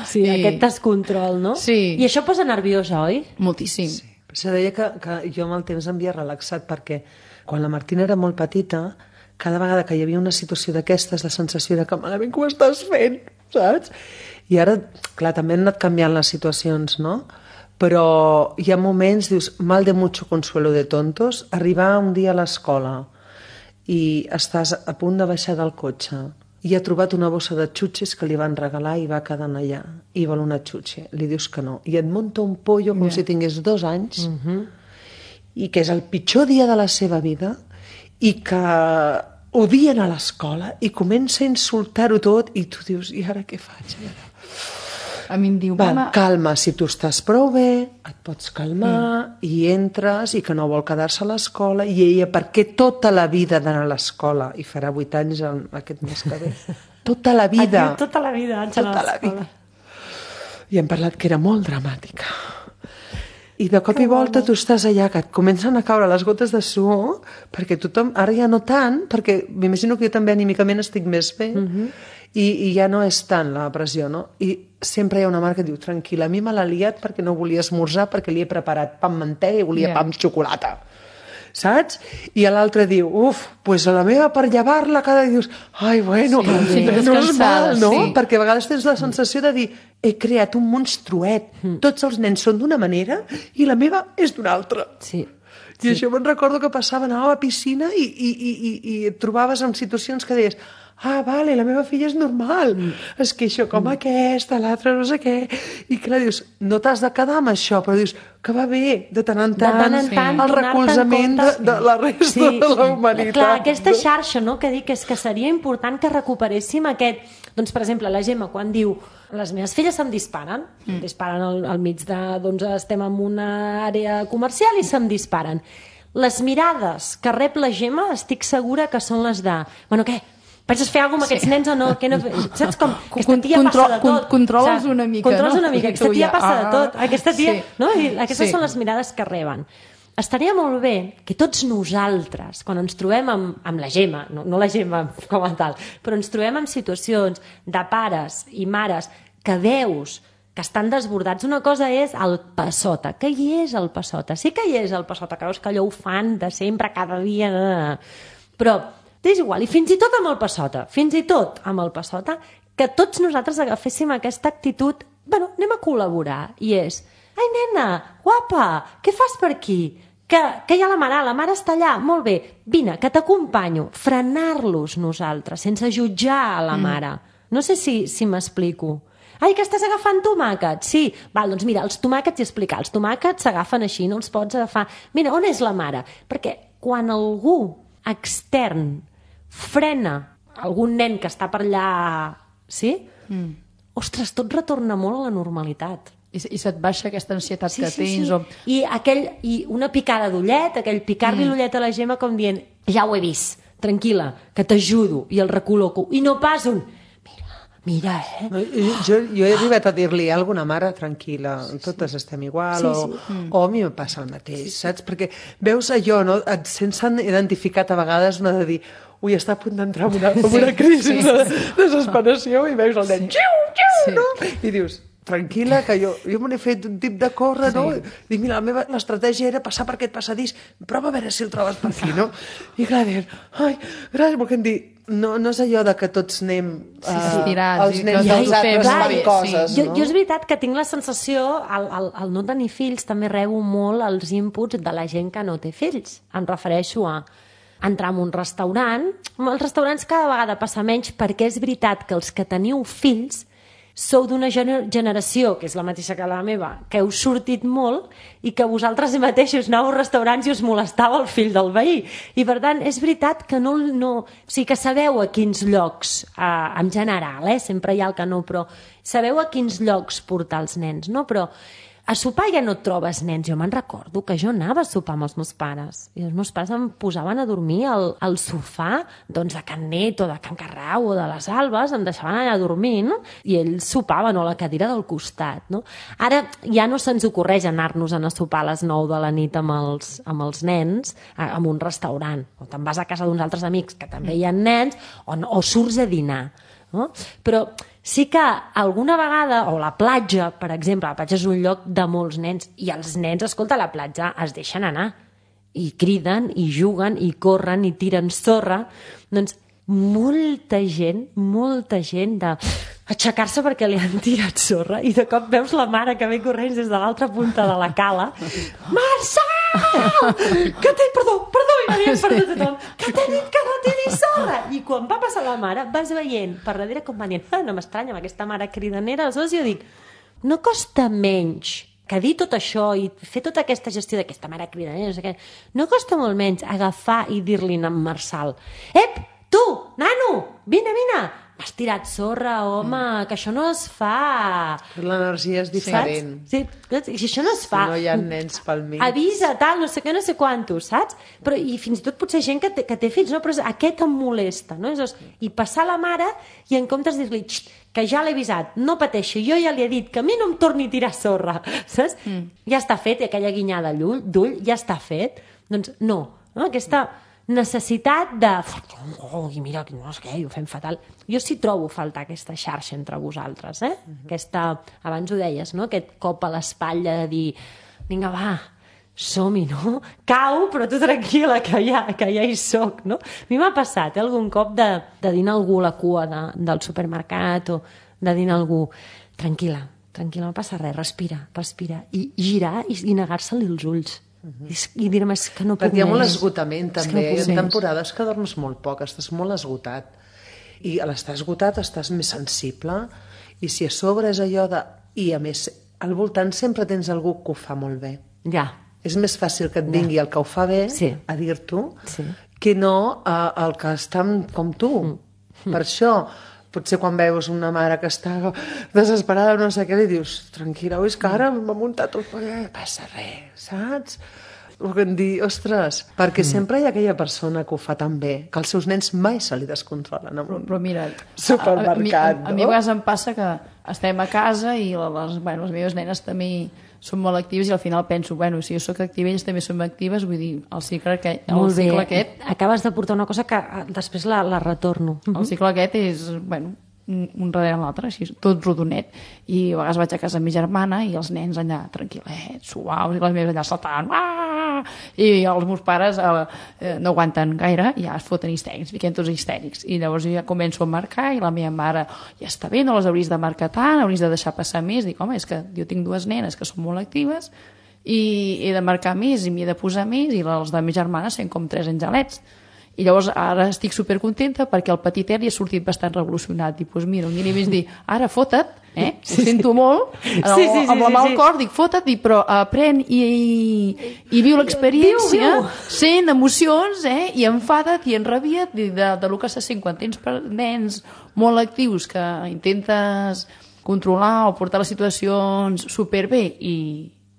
Sí, I... aquest descontrol, no? Sí. I això posa nerviosa, oi? Moltíssim. Sí. Per això deia que, que jo amb el temps m'havia relaxat, perquè quan la Martina era molt petita, cada vegada que hi havia una situació d'aquestes, la sensació era que malament que ho estàs fent, saps? I ara, clar, també han anat canviant les situacions, no? Però hi ha moments, dius, mal de mucho consuelo de tontos, arribar un dia a l'escola i estàs a punt de baixar del cotxe i ha trobat una bossa de xutxes que li van regalar i va quedant allà i vol una xutxe, li dius que no i et munta un pollo com yeah. si tingués dos anys uh-huh. i que és el pitjor dia de la seva vida i que odien a l'escola i comença a insultar-ho tot i tu dius, i ara què faig? A mi em diu, Va, mama... calma, si tu estàs prou bé, et pots calmar mm. i entres i que no vol quedar-se a l'escola i ella, perquè tota la vida d'anar a l'escola i farà vuit anys el, aquest mes que ve tota la vida tota la vida, tota la vida. I hem parlat que era molt dramàtica. I de cop i volta tu estàs allà, que et comencen a caure les gotes de suor, perquè tothom, ara ja no tant, perquè m'imagino que jo també anímicament estic més bé, uh-huh. i, i ja no és tant la pressió, no? I sempre hi ha una mare que diu, tranquil·la, a mi me l'ha liat perquè no volia esmorzar, perquè li he preparat pa amb mantega i volia yeah. pa amb xocolata. Saps? I l'altre diu, uf, pues a la meva per llevar-la cada dia dius, ai, bueno, sí, menys mal, no? Sí. Perquè a vegades tens la sensació de dir, he creat un monstruet, mm. tots els nens són d'una manera i la meva és d'una altra. Sí. I sí. això me'n recordo que passava, anava a la piscina i, i, i, i, i et trobaves en situacions que deies, ah, vale, la meva filla és normal, mm. es queixa com mm. aquesta, l'altra no sé què, i clar, dius, no t'has de quedar amb això, però dius, que va bé, de tant en tant, de tant en tant el recolzament de, de la resta sí. de la humanitat. Clar, aquesta xarxa, no?, que dic és que seria important que recuperéssim aquest... Doncs, per exemple, la Gemma, quan diu les meves filles se'm disparen, mm. em disparen al, al mig de... Doncs estem en una àrea comercial i se'm disparen. Les mirades que rep la Gemma estic segura que són les de... Bueno, què? Penses fer alguna cosa amb aquests sí. nens o no? Que no? Saps com? Aquesta tia Control, passa de tot. Controles una mica, Controles no? una mica. Aquesta tia passa de tot. Aquesta tia... Sí. No? I aquestes sí. són les mirades que reben. Estaria molt bé que tots nosaltres, quan ens trobem amb, amb la Gemma, no, no la Gemma com a tal, però ens trobem en situacions de pares i mares que veus que estan desbordats. Una cosa és el passota. Què hi és el passota? Sí que hi és el passota, que veus que allò ho fan de sempre, cada dia... Però és igual. I fins i tot amb el passota, fins i tot amb el passota, que tots nosaltres agaféssim aquesta actitud, bueno, anem a col·laborar, i és, ai, nena, guapa, què fas per aquí? Que, que hi ha la mare, la mare està allà, molt bé, vine, que t'acompanyo, frenar-los nosaltres, sense jutjar a la mare. No sé si, si m'explico. Ai, que estàs agafant tomàquets? Sí. Val, doncs mira, els tomàquets i explicar. Els tomàquets s'agafen així, no els pots agafar. Mira, on és la mare? Perquè quan algú extern frena algun nen que està per allà, sí? Mm. Ostres, tot retorna molt a la normalitat. I, i se't baixa aquesta ansietat sí, que sí, tens. Sí. O... I, aquell, I una picada d'ullet, aquell picar-li mm. l'ullet a la Gemma com dient, ja ho he vist, tranquil·la, que t'ajudo, i el recol·loco. I no pas un, mira, mira, eh? No, jo, jo he arribat a dir-li a alguna mare, tranquil·la, sí, totes sí. estem igual, sí, sí. O, mm. o a mi em passa el mateix, saps? Perquè veus allò, no? Et sents identificat a vegades una de dir, ui, està a punt d'entrar en una, en una crisi sí, sí, sí. de desesperació, i veus el nen, sí. xiu, xiu, sí. no? I dius, tranquil·la, que jo, jo me n'he fet un tip de córrer, sí. no? Dic, mira, la meva l'estratègia era passar per aquest passadís, prova a veure si el trobes per aquí, no? I clar, dir, ai, gràcies, perquè em dir, no, no és allò de que tots anem uh, sí, estirats, els nens dels altres fan coses, sí. no? Jo, jo és veritat que tinc la sensació, al, al, al no tenir fills també rebo molt els inputs de la gent que no té fills. Em refereixo a entrar en un restaurant. Els restaurants cada vegada passa menys perquè és veritat que els que teniu fills sou d'una gener generació, que és la mateixa que la meva, que heu sortit molt i que vosaltres mateixos anàveu als restaurants i us molestava el fill del veí. I per tant, és veritat que no... no o sigui, que sabeu a quins llocs, eh, en general, eh, sempre hi ha el que no, però sabeu a quins llocs portar els nens, no? Però a sopar ja no et trobes nens. Jo me'n recordo que jo anava a sopar amb els meus pares i els meus pares em posaven a dormir al, al sofà doncs, de Can Net o de Can Carrau o de les Albes, em deixaven allà dormint i ells sopaven o a la cadira del costat. No? Ara ja no se'ns ocorreix anar-nos a sopar a les nou de la nit amb els, amb els nens en un restaurant. O te'n vas a casa d'uns altres amics que també hi ha nens o, no, o surts a dinar. No? Però sí que alguna vegada, o la platja, per exemple, la platja és un lloc de molts nens, i els nens, escolta, a la platja es deixen anar, i criden, i juguen, i corren, i tiren sorra. Doncs molta gent, molta gent de aixecar-se perquè li han tirat sorra, i de cop veus la mare que ve corrents des de l'altra punta de la cala. Marçal! Que t'he... Perdó, perdó, i m'havien perdut tothom. Que t'he dit que no tiris sorra! I quan va passar la mare, vas veient per darrere com van dient, ah, no m'estranya amb aquesta mare cridanera, aleshores jo dic, no costa menys que dir tot això i fer tota aquesta gestió d'aquesta mare cridanera, no sé què, no costa molt menys agafar i dir-li a en Marçal, ep, tu, nano, vine, vine, has tirat sorra, home, mm. que això no es fa. L'energia és diferent. Saps? Sí, si això no es fa. Si no hi ha nens pel mig. Avisa, tal, no sé què, no sé quantos, saps? Però, i fins i tot potser gent que té, que té fills, no? Però aquest em molesta, no? És, i passar la mare i en comptes de dir-li que ja l'he avisat, no pateixi, jo ja li he dit que a mi no em torni a tirar sorra, saps? Mm. Ja està fet, i aquella guinyada d'ull ja està fet. Doncs no, no? Aquesta necessitat de... Oh, i mira, no sé què, ho fem fatal. Jo sí trobo faltar aquesta xarxa entre vosaltres, eh? Uh-huh. Aquesta, abans ho deies, no? Aquest cop a l'espatlla de dir, vinga, va, som-hi, no? Cau, però tu tranquil·la, que ja, que ja hi soc, no? A mi m'ha passat, eh, algun cop de, de dir a algú a la cua de, del supermercat o de dir a algú, tranquil·la, tranquil·la, no passa res, respira, respira, i girar i, i negar-se-li els ulls. Uh-huh. I, i dir-me que no puc perquè hi ha molt més. esgotament també, no hi ha temporades que dorms molt poc, estàs molt esgotat i a l'estar esgotat estàs més sensible i si a sobre és allò de... i a més al voltant sempre tens algú que ho fa molt bé, ja. És més fàcil que et vingui ja. El que ho fa bé sí. A dir-t'ho sí. Que no uh, el que està com tu mm. Per això potser quan veus una mare que està desesperada no sé què, li dius, tranquil·la, és que ara m'ha muntat el paller, passa res, saps? O que em dir, ostres, perquè mm. sempre hi ha aquella persona que ho fa tan bé, que els seus nens mai se li descontrolen en un però mira, supermercat, a, a, a, no? A mi a vegades em passa que estem a casa i les, bueno, les meves nenes també són molt actives i al final penso, bueno, si jo sóc activa elles també són actives, vull dir, el cicle aquest, el cicle aquest... Acabes de portar una cosa que després la, la retorno. El cicle aquest és, bueno, un darrere l'altre, així, tot rodonet. I a vegades vaig a casa amb mi germana i els nens allà tranquil·lets, suaus, i les meves allà saltant, ah! I els meus pares eh, no aguanten gaire i ja es foten histèrics, fiquem tots histèrics. I llavors jo ja començo a marcar i la meva mare, ja està bé, no les hauries de marcar tant, hauries de deixar passar més. Dic, home, és que jo tinc dues nenes que són molt actives i he de marcar més i m'hi he de posar més i els de mi germana sent com tres angelets. I llavors ara estic supercontenta perquè el petitet li ha sortit bastant revolucionat. I doncs mira, un dia li vaig dir, ara fota't, eh? Ho sento molt, sí, sí, sí, amb la mà al cor, dic, fota't, dic, però aprèn i, i, i viu l'experiència, sent emocions, eh? I enfada't i enrabia't de, de, de lo que se sent quan tens nens molt actius que intentes controlar o portar les situacions superbé i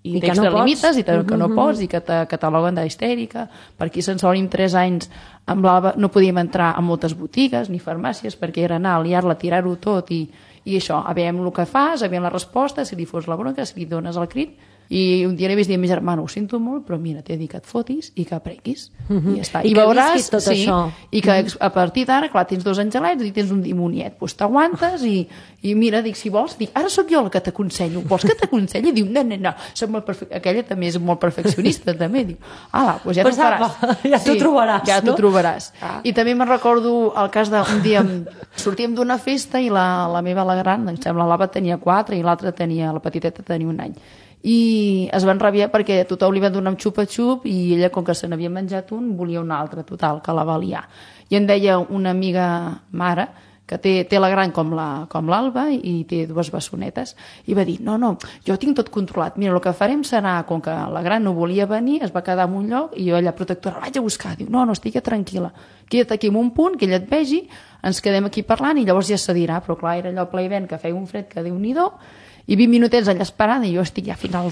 i t'extralimites i que no pots i que te cataloguen d'histèrica. Per aquí se'n solim tres anys amb l'Alba no podíem entrar a moltes botigues ni farmàcies perquè era anar a liar-la, tirar-ho tot i, i això, aviam el que fas, aviam la resposta, si li fos la bronca, si li dones el crit. I un dia li vaig dir a mi germana, ho sento molt, però mira, t'he dit que et fotis i que aprenguis. Mm-hmm. I ja està. I, I veuràs, tot sí, això. I que a partir d'ara, clar, tens dos angelets i tens un dimoniet, doncs t'aguantes i, i mira, dic, si vols, dic, ara sóc jo la que t'aconsello, vols que t'aconselli? Diu, no, no, no, soc molt perfe... aquella també és molt perfeccionista, també, diu, ala, doncs ja t'ho faràs. Ja t'ho trobaràs, ja no? t'ho trobaràs. Ah. I també me'n recordo el cas d'un dia, sortíem d'una festa i la, la meva, la gran, em sembla, l'Ava tenia quatre i l'altra tenia, la petiteta tenia un any. I es van rabiar perquè tothom li va donar un xupa-xup i ella, com que se n'havia menjat un, volia un altre, total, que la va liar. I em deia una amiga mare, que té, té la gran com la, com l'Alba i té dues bessonetes, i va dir, no, no, jo tinc tot controlat, mira, el que farem serà, com que la gran no volia venir, es va quedar en un lloc, i jo allà protectora, la vaig a buscar, diu, no, no, estigui tranquil·la, queda't aquí en un punt, que ella et vegi, ens quedem aquí parlant, i llavors ja se dirà, però clar, era allò ple i vent, que feia un fred que Déu-n'hi-do, i vint minutets allà esperant i jo estic ja final,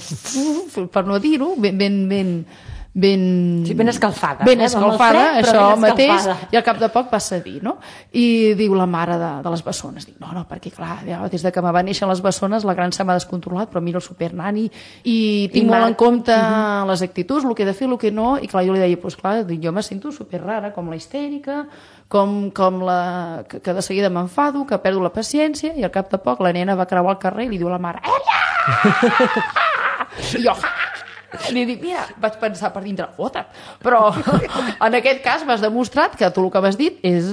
per no dir-ho, ben, ben, ben, ben... Sí, ben escalfada. Ben eh? escalfada, fred, això ben mateix, i al cap de poc va cedir, no? I diu la mare de, de les bessones, diu, no, no, perquè clar, des de que me va néixer les bessones, la gran se m'ha descontrolat, però mira el supernani, i tinc I molt en compte uh-huh. les actituds, el que he de fer, el que no, i clar, jo li deia, doncs clar, jo me sento superrara, com la histèrica, com, com la, que, que de seguida m'enfado, que perdo la paciència, i al cap de poc la nena va creuar el carrer i li diu a la mare, Ella! I jo, li dic, mira, vaig pensar per dintre, fota't, però en aquest cas m'has demostrat que tu el que m'has dit és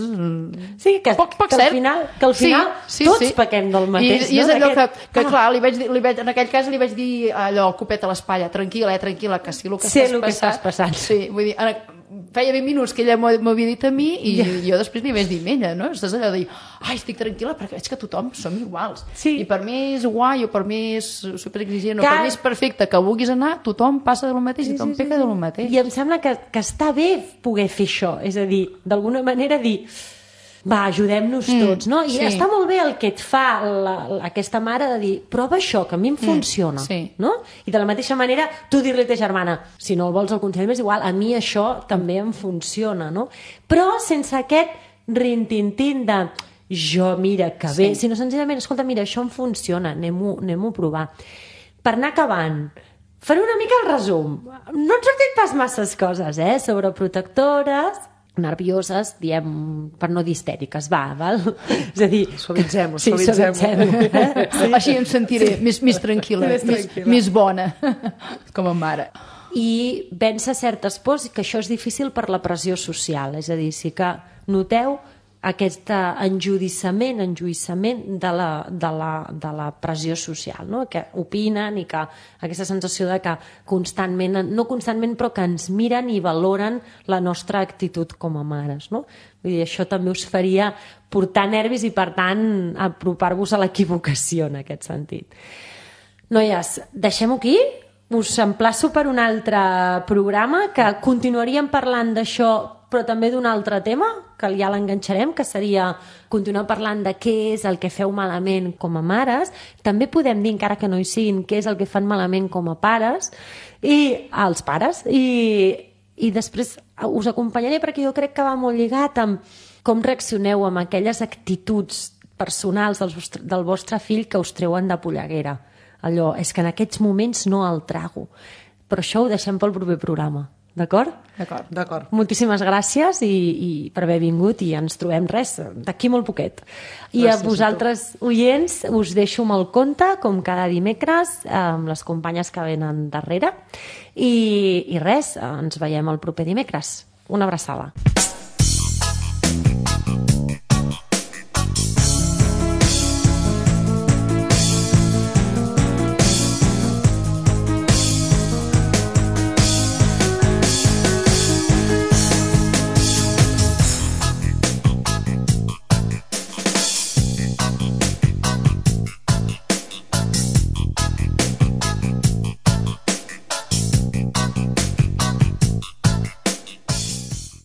sí, que, poc, poc que cert. Al final, que al final sí, sí, tots sí. pequem del mateix. I, i és no? allò Aquest... que, que ah. clar, li vaig dir, li vaig, en aquell cas li vaig dir allò, copet a l'espatlla, tranquil·la, eh, tranquil·la, que sí, el que sé estàs, el que passant, estàs passant. Sí, vull dir, en, feia vint minuts que ella m'havia dit a mi i yeah. jo després li vaig dir a ella, no? Estàs allò de dir, ai, estic tranquil·la perquè veig que tothom som iguals. Sí. I per mi és guai o per mi és superexigent o per mi és perfecte que vulguis anar, tothom passa de lo mateix i tothom sí, sí, peca sí. de lo mateix. I em sembla que, que està bé poder fer això, és a dir, d'alguna manera dir va, ajudem-nos mm, tots, no? I sí. està molt bé el que et fa la, la, aquesta mare de dir, prova això, que a mi em funciona, mm, sí. no? I de la mateixa manera, tu dir-li a ta germana, si no el vols el consell més igual, a mi això també em funciona, no? Però sense aquest rintintín de jo, mira, que bé, sí. sinó senzillament, escolta, mira, això em funciona, anem-ho anem a provar. Per anar acabant, faré una mica el resum. No han sortit pas masses coses, eh? Sobreprotectores, nervioses, diem, per no dir histèriques, va, val? És a dir... Suavitzem-ho, sí, suavitzem-ho. Eh? Sí. Així em sentiré més, més tranquil·la, més, més, més bona, com a mare. I vèncer certes pors, que això és difícil per la pressió social, és a dir, sí que noteu aquest enjudiciament, enjuïssament de la, de la, de la pressió social, no? Que opinen i que aquesta sensació de que constantment, no constantment, però que ens miren i valoren la nostra actitud com a mares, no? Vull dir, això també us faria portar nervis i, per tant, apropar-vos a l'equivocació en aquest sentit. Noies, deixem-ho aquí? Us emplaço per un altre programa que continuaríem parlant d'això, però també d'un altre tema, que ja l'enganxarem, que seria continuar parlant de què és el que feu malament com a mares. També podem dir, encara que no hi siguin, què és el que fan malament com a pares, i als pares. I, i després us acompanyaré, perquè jo crec que va molt lligat amb com reaccioneu amb aquelles actituds personals del vostre, del vostre fill que us treuen de polleguera. Allò, és que en aquests moments no el trago. Però això ho deixem pel proper programa. D'acord? D'acord. D'acord. Moltíssimes gràcies i, i per haver vingut i ens trobem res, d'aquí molt poquet. I gràcies a vosaltres, a oients, us deixo amb el conte, com cada dimecres, amb les companyes que venen darrere. I, i res, ens veiem el proper dimecres. Una abraçada.